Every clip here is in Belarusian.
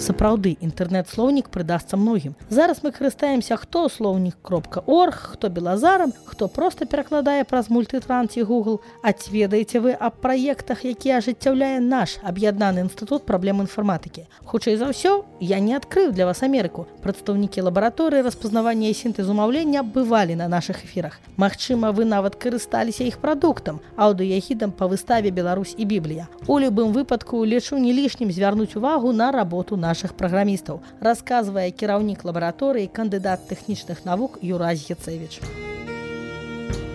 Сапраўды, інтэрнэт-слоўнік прыдасца многім. Зараз мы карыстаемся хто слоўнік.орг, хто белазарам, хто проста перакладае праз мультытранс і Google. А ці ведаеце вы аб праектах, які ажыццяўляе наш аб'яднаны інстытут праблем інфарматыкі? Хутчэй за ўсё, я не адкрыў для вас Амерыку. Прадстаўнікі лабараторыі распазнавання і сінтэзу маўлення бывалі на нашых эфірах. Магчыма, вы нават карысталіся іх прадуктам, аўдыягідам па выставе «Беларусь і Біблія». У любым выпадку лічу не лішнім звярнуць увагу на работу нашых праграмістаў, расказвае кіраўнік лабараторыі, кандыдат тэхнічных навук Юрась Гецевіч.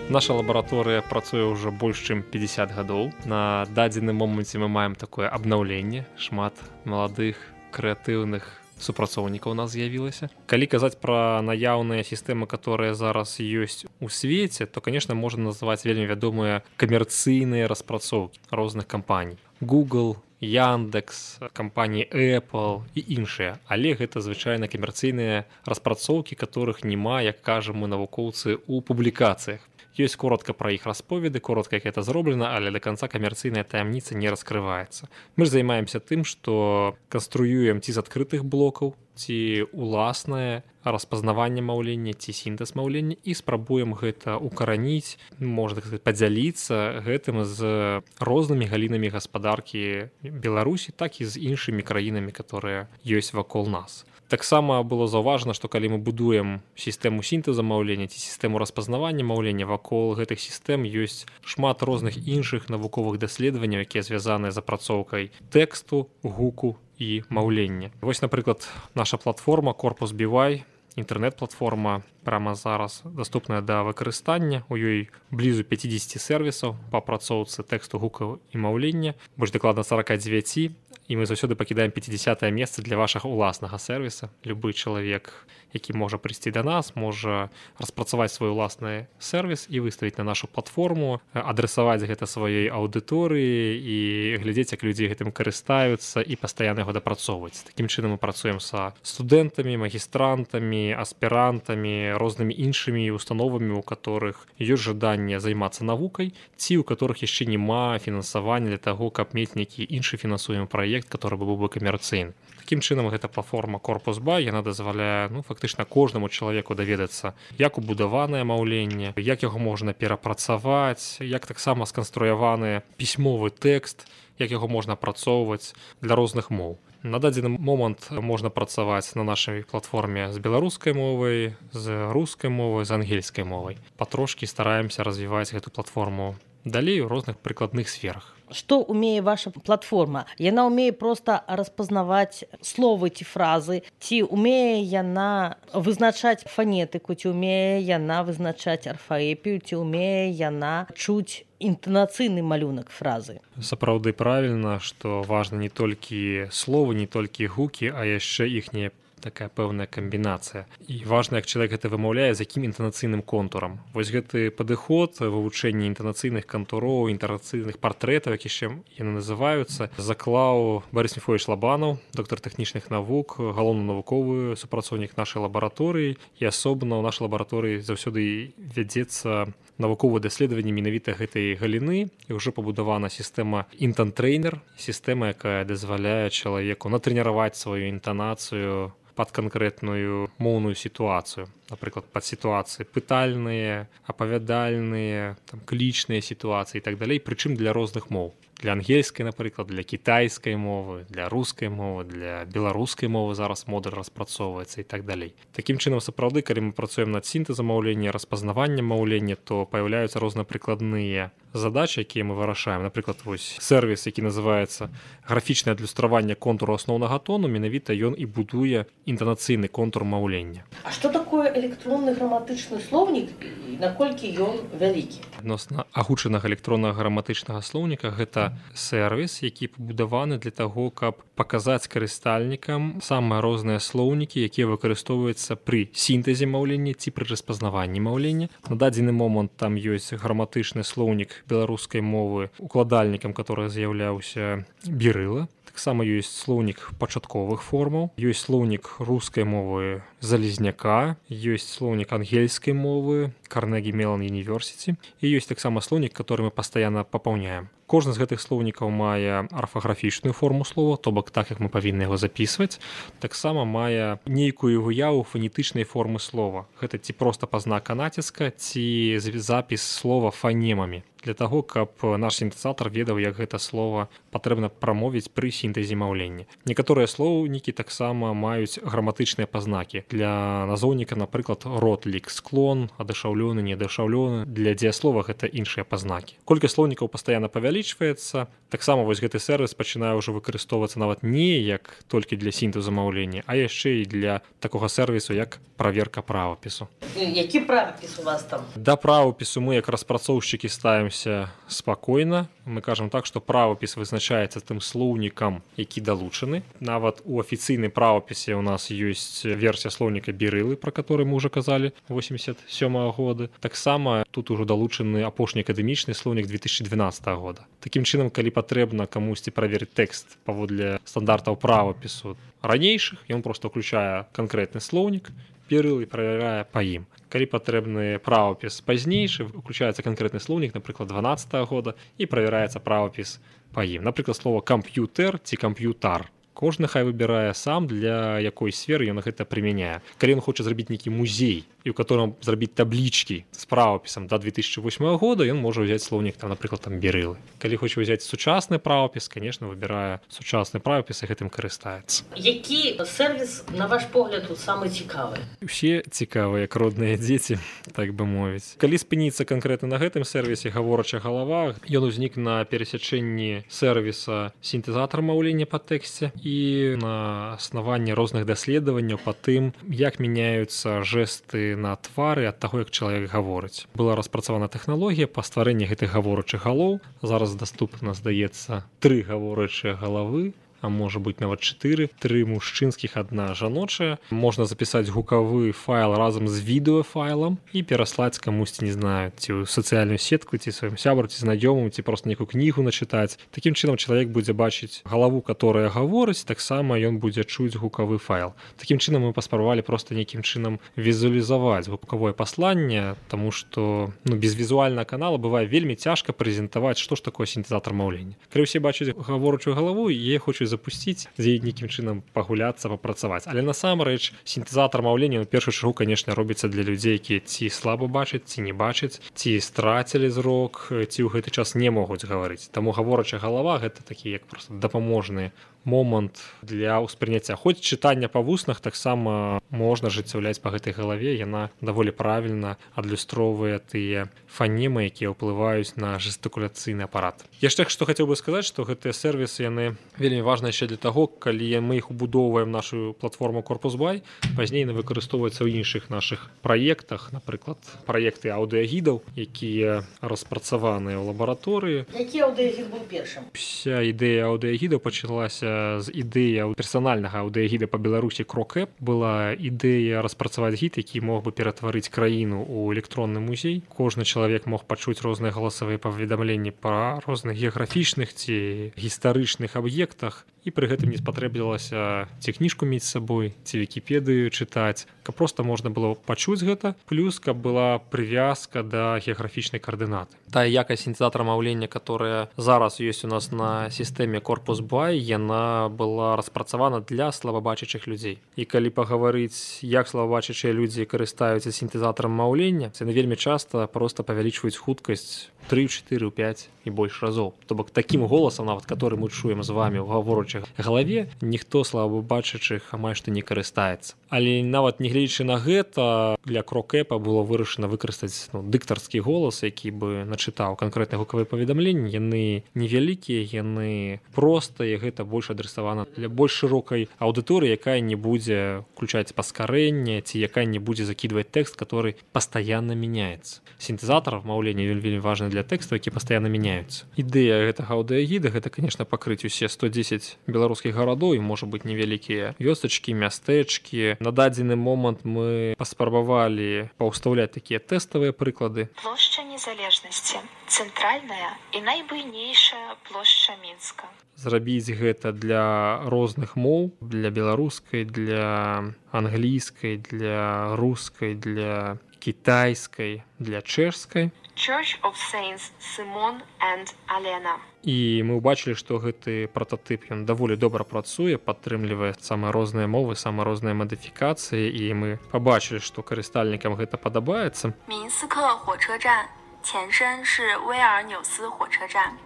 Наша лабараторыя працуе ўжо больш чым 50 гадоў. На дадзеным моманце мы маем такое абнаўленне. Шмат маладых, крэатыўных супрацоўнікаў у нас з'явілася. Калі казаць пра наяўныя сістэмы, которые зараз ёсць у свеце, то, конечно, можна назваць вельмі вядомыя камерцыйныя распрацоўкі розных кампаній. Google, Яндекс, кампаніі Apple і іншыя. Але гэта звычайна камерцыйныя распрацоўкі, которых няма, як кажам мы навукоўцы, у публікацыях. Ёсць коротка пра іх расповеды, коротка, як гэта зроблена, але да канца камерцыйная таямніца не раскрываецца. Мы ж займаемся тым, што канструюем ці з адкрытых блокаў, ці уласнае распазнаванне маўлення, ці сінтэз маўлення і спрабуем гэта укараніць, можна так сказаць, падзяліцца гэтым з рознымі галінамі гаспадаркі Беларусі, так і з іншымі краінамі, которые ёсць вакол нас. Таксама было заўважана, што калі мы будуем сістэму сінтэза маўлення ці сістэму распазнавання маўлення, вакол гэтых сістэм ёсць шмат розных іншых навуковых даследаванняў, якія звязаныя з апрацоўкай тэксту, гуку і маўлення. Вось, напрыклад, наша платформа Corpus BY, інтэрнэт-платформа, прямо зараз даступная да выкарыстання. У ёй блізу 50 сервісаў па апрацоўцы тэксту, гукаў і маўлення, больш дакладна 49, і мы заўсёды пакідаем 50-е месца для вашага уласнага сервіса. Любы чалавек, які можа прыйсці да нас, можа распрацаваць свой уласны сервіс і выставіць на нашу платформу, адресаваць гэта сваёй аўдыторыі і глядзець, як людзі гэтым карыстаюцца і пастаянна яго дапрацоўваць. Такім чынам мы працуем са студэнтамі, магістрантамі, аспірантамі, рознымі іншымі установамі, у которых ёсць жаданне займацца навукай, ці у которых яшчэ няма фінансавання для таго, каб мець нейкі іншы фінансуемы праект, который быў бы камерцыйны. Такім чынам гэта платформа Corpus BY, яна дазваляе фактычна кожнаму чалавеку даведацца, як убудаванае маўленне, як яго можна перапрацаваць, як таксама сканструяваны пісьмовы тэкст, як яго можна апрацоўваць для розных моў. На дадзены момант можна працаваць на нашай платформе з беларускай мовай, з рускай мовай, з ангельскай мовай. Патрошкі стараемся развіваць гэту платформу далей у розных прыкладных сферах. Што умее ваша платформа? Яна умее проста распазнаваць словы ці фразы, ці умее яна вызначаць фанетыку, ці умее яна вызначаць арфаэпію, ці умее яна чуць інтанацыйны малюнак фразы? Сапраўды правільна, што важна не толькі словы, не толькі гукі, а яшчэ іхнія такая пэўная камбінацыя. І важна, як чалавек гэта вымаўляе, з якім інтанацыйным контурам. Вось гэты падыход вывучэння інтанацыйных кантуроў, інтанацыйных партрэтаў, як яшчэ яны называюцца, заклаў Барыс Міфовіч Лабанаў, доктар тэхнічных навук, галоўны навуковы супрацоўнік нашай лабараторыі, і асобна ў нашай лабараторыі заўсёды вядзецца навуковае даследаванне менавіта гэтай галіны, і ўжо пабудавана сістэма інтан-трейнер, сістэма, якая дазваляе чалавеку натрэніраваць сваю інтанацыю пад канкрэтную моўную сітуацыю. Напрыклад, пад сітуацыі пытальныя, апавядальныя, клічныя сітуацыі і так далей, прычым для розных моў. Для ангельскай, напрыклад, для кітайскай мовы, для рускай мовы, для беларускай мовы зараз модуль распрацоўваецца і так далей. Такім чынам, сапраўды, калі мы працуем над сінтэзам маўлення, распазнаваннем маўлення, то паяўляюцца рознапрыкладныя задачы, якія мы вырашаем. Напрыклад, вось сервіс, які называецца графічнае адлюстраванне контуру асноўнага тону, менавіта ён і будуе інтанацыйны контур маўлення. А што такое электронны граматычны слоўнік і наколькі ён вялікі? Адносна агучанага электроннага граматычнага слоўніка гэта сервіс, які пабудаваны для таго, каб паказаць карыстальнікам самыя розныя слоўнікі, якія выкарыстоўваюцца пры сінтэзе маўлення ці пры распазнаванні маўлення. На дадзены момант там ёсць граматычны слоўнік беларускай мовы, укладальнікам, который з'яўляўся Бірыла. Таксама ёсць слоўнік пачатковых формаў, ёсць слоўнік рускай мовы Залезняка, ёсць слоўнік ангельскай мовы Карнегі Мелан Юніверсіці і ёсць таксама слоўнік, который мы пастаянна папаўняем. Кожны з гэтых слоўнікаў мае арфаграфічную форму слова, то бок так, як мы павінны яго запісваць, таксама мае нейкую выяву фанетычнай формы слова. Гэта ці проста пазнака націска, ці запіс слова фанемамі. Для таго, каб наш сінтэзатар ведаў, як гэта слова патрэбна прамовіць пры сінтэзе маўлення. Некаторыя слоўнікі таксама маюць граматычныя пазнакі. Для назоўніка, напрыклад, род, лік, склон, адышаўлёны, неадышаўлёны. Для дзеяслова гэта іншыя пазнакі. Колькасць слоўнікаў пастаянна павялічваецца. Таксама вось гэты сервіс пачынае ўжо выкарыстоўвацца нават не як толькі для сінтэзу маўлення, а яшчэ і для такога сервісу, як праверка правапісу. Які правапіс у вас там? Да правапісу мы як распрацоўшчыкі ставімся спакойна. Мы кажам так, што правапіс вызначаецца тым слоўнікам, які далучаны. Нават у афіцыйнай правапісе ў нас ёсць версія слоўніка Бірылы, пра который мы ўжо казалі, 87-го года. Таксама тут ужо далучаны апошні акадэмічны слоўнік 2012 года. Такім чынам, калі патрэбна камусьці праверыць тэкст паводле стандартаў правапісу ранейшых, ён проста ўключае канкрэтны слоўнік Бірылы і праверяе па ім. Калі патрэбны правапіс пазнейшы, уключаецца канкрэтны слоўнік, напрыклад, 12-го года, і правяраецца правапіс па ім. Напрыклад, слова камп'ютэр ці камп'ютар. Кожны хай выбірае сам, для якой сферы ён гэта прымяняе. Калі ён хоча зрабіць нейкі музей, і ў котором зрабіць таблічкі з правапісам да 2008 года, ён можа ўзяць слоўнік, там, напрыклад, там Бірылы. Калі хоча ўзяць сучасны правапіс, конечно, выбірае сучасны правапіс і гэтым карыстаецца. Які сервіс, на ваш погляд, самы цікавы? Усе цікавыя, як родныя дзеці, так бы мовіць. Калі спыніцца канкрэтна на гэтым сервісе гаворачая галава, ён узнік на перасячэнні сервіса сінтэзатар маўлення па тэксце і на аснаванні розных даследаванняў па тым, як мяняюцца жэсты на твары ад таго, як чалавек гаворыць. Была распрацавана тэхналогія па стварэнні гэтых гаворачых галоў. Зараз даступна, здаецца, 3 гаворачыя галавы, а можа быць нават 4, 3 мужчынскіх, 1 жаночая. Можна запісаць гукавы файл разам з відэафайлам і пераслаць камусьці, не знаю, ці ў сацыяльную сетку, ці сваім сябру, ці знаёмым, ці проста нейкую кнігу начытаць. Такім чынам чалавек будзе бачыць галаву, которая гаворыць, таксама ён будзе чуць гукавы файл. Такім чынам мы паспрабавалі проста нейкім чынам візуалізаваць гукавое пасланне, таму што без візуальнага канала бывае вельмі цяжка прэзентаваць, што ж такое сінтэзатар маўлення. Калі ўсе бачаць гаворачую галаву, яе хочуць запусціць, з яе нейкім чынам пагуляцца, папрацаваць. Але насамрэч сінтэзатар маўлення ў першую чаргу, канешне, робіцца для людзей, якія ці слаба бачаць, ці не бачаць, ці страцілі зрок, ці ў гэты час не могуць гаварыць. Таму гаворачая галава гэта такі як проста дапаможны момант для ўспрыняцця. Хоць чытання па вуснах таксама можна ажыццяўляць па гэтай галаве, яна даволі правільна адлюстроўвае тыя фанемы, якія ўплываюць на жестыкуляцыйны апарат. Яшчэ што хацеў бы сказаць, што гэтыя сервісы яны вельмі важны яшчэ для таго, калі мы іх убудоўваем нашу платформу Corpus.by, пазней яны выкарыстоўваюцца ў іншых нашых праектах, напрыклад, праекты аўдыягідаў, якія распрацаваныя ў лабараторыі. Які аўдыягід быў першым? Уся ідэя аўдыягідаў пачалася з ідэя персанальнага аўдыягіда па Беларусі Крокэп. Была ідэя распрацаваць гід, які мог бы ператварыць краіну ў электронны музей. Кожны чалавек мог пачуць розныя галасавыя паведамленні па розных геаграфічных ці гістарычных аб'ектах, і пры гэтым не спатрэбілася ці кніжку мець з сабой, ці Вікіпедыю чытаць, каб проста можна было пачуць гэта, плюс каб была прывязка да геаграфічнай каардынаты. Тая якасць сінтэзатара маўлення, которая зараз ёсць у нас на сістэме Corpus.by, яна была распрацавана для слабабачачых людзей. І калі пагаварыць, як слабабачачыя людзі карыстаюцца сінтэзатарам маўлення, яны вельмі часта проста павялічваюць хуткасць 3, 4, 5 і больш разоў. То бок такім голасам, нават который мы чуем з вами ў гаворачай галаве, ніхто слабабачачых амаль што не карыстаецца. Але нават не гледзячы на гэта, для Крокэпа было вырашана выкарыстаць дыктарскі голас, які бы начытаў канкрэтныя гукавыя паведамленні. Яны невялікія, яны простыя, гэта больш адресавана для больш шырокай аўдыторыі, якая не будзе включаць паскарэнне, ці якая не будзе закидывать тэкст, который пастаянна мяняецца. Сінтэзатар маўлення вельмі важны для тэкстаў, які пастаянна мяняюцца. Ідэя гэтага аўдыягіда гэта, конечно, пакрыць усе 110 беларускіх гарадоў і, можа быць, невялікія вёсачкі, мястэчкі. На дадзены момант мы паспрабавалі паўстаўляць такія тэставыя прыклады. Плошча Незалежнасці, цэнтральная і найбуйнейшая плошча Мінска. Зрабіць гэта для розных моў, для беларускай, для англійскай, для рускай, для кітайскай, для чэшскай. Church of Saints Simon and Alena. І мы ўбачылі, што гэты прататып ён даволі добра працуе, падтрымлівае самыя розныя мовы, самыя розныя мадыфікацыі, і мы пабачылі, што карыстальнікам гэта падабаецца. 明斯克火车站前身是威尔纽斯火车站。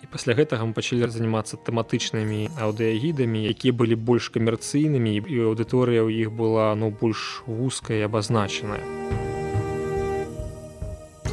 І пасля гэтага мы пачалі займацца тэматычнымі аўдыягідамі, якія былі больш камерцыйнымі, і аўдыторыя ў іх была больш вузкая і абазначаная.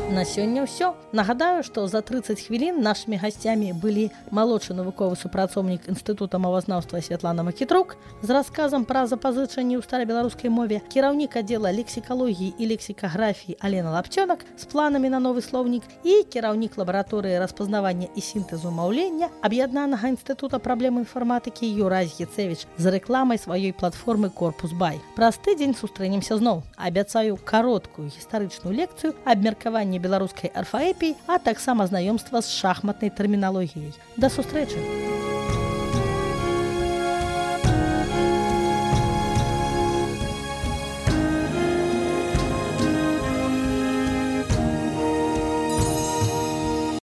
На сёння ўсё. Нагадаю, што за 30 хвілін нашымі гасцямі былі малодшы навуковы супрацоўнік Інстытута мовазнаўства Святлана Макітрук з расказам пра запазычанні ў старабеларускай мове, кіраўнік аддзела лексікалогіі і лексікаграфіі Алена Лапчонак з планамі на новы слоўнік і кіраўнік лабараторыі распазнавання і сінтэзу маўлення Аб'яднанага інстытута праблем інфарматыкі Юрась Гецевіч з рэкламай сваёй платформы Корпус Бай. Праз тыдзень сустрэнемся зноў. Абяцаю кароткую гістарычную лекцыю, абмеркаванне беларускай арфаэпіі, а таксама знаёмства з шахматнай тэрміналогіяй. Да сустрэчы!